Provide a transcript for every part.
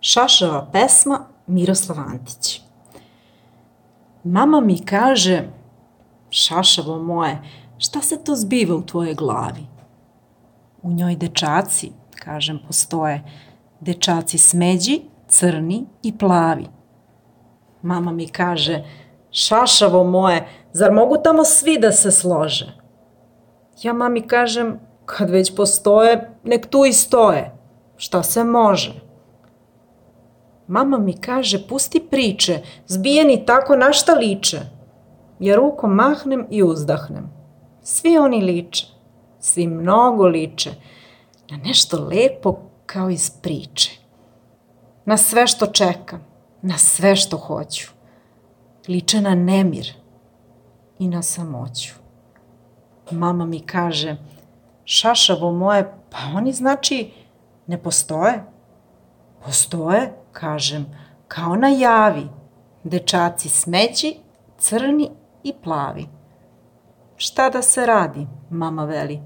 Šašava pesma Miroslav Antić. Mama mi kaže, šašavo moje, šta se to zbiva u tvojoj glavi? U njoj dečaci, kažem, postoje. Dečaci smeđi, crni i plavi. Mama mi kaže, šašavo moje, zar mogu tamo svi da se slože? Ja mami kažem, kad već postoje, nek tu i stoje. Šta se može? Mama mi kaže, pusti priče, zbijeni tako na šta liče. Ja rukom mahnem i uzdahnem. Svi oni liče, svi mnogo liče, na nešto lepo kao iz priče. Na sve što čekam, na sve što hoću. Liče na nemir i na samoću. Mama mi kaže, šašavo moje, pa oni znači ne postoje? Postoje, kažem, kao na javi, dečaci smeđi, crni i plavi. Šta da se radi, mama veli.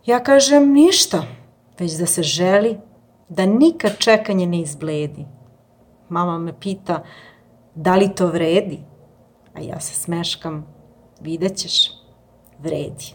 Ja kažem ništa, već da se želi, da nikad čekanje ne izbledi. Mama me pita, da li to vredi? A ja se smeškam, vidjet ćeš, vredi.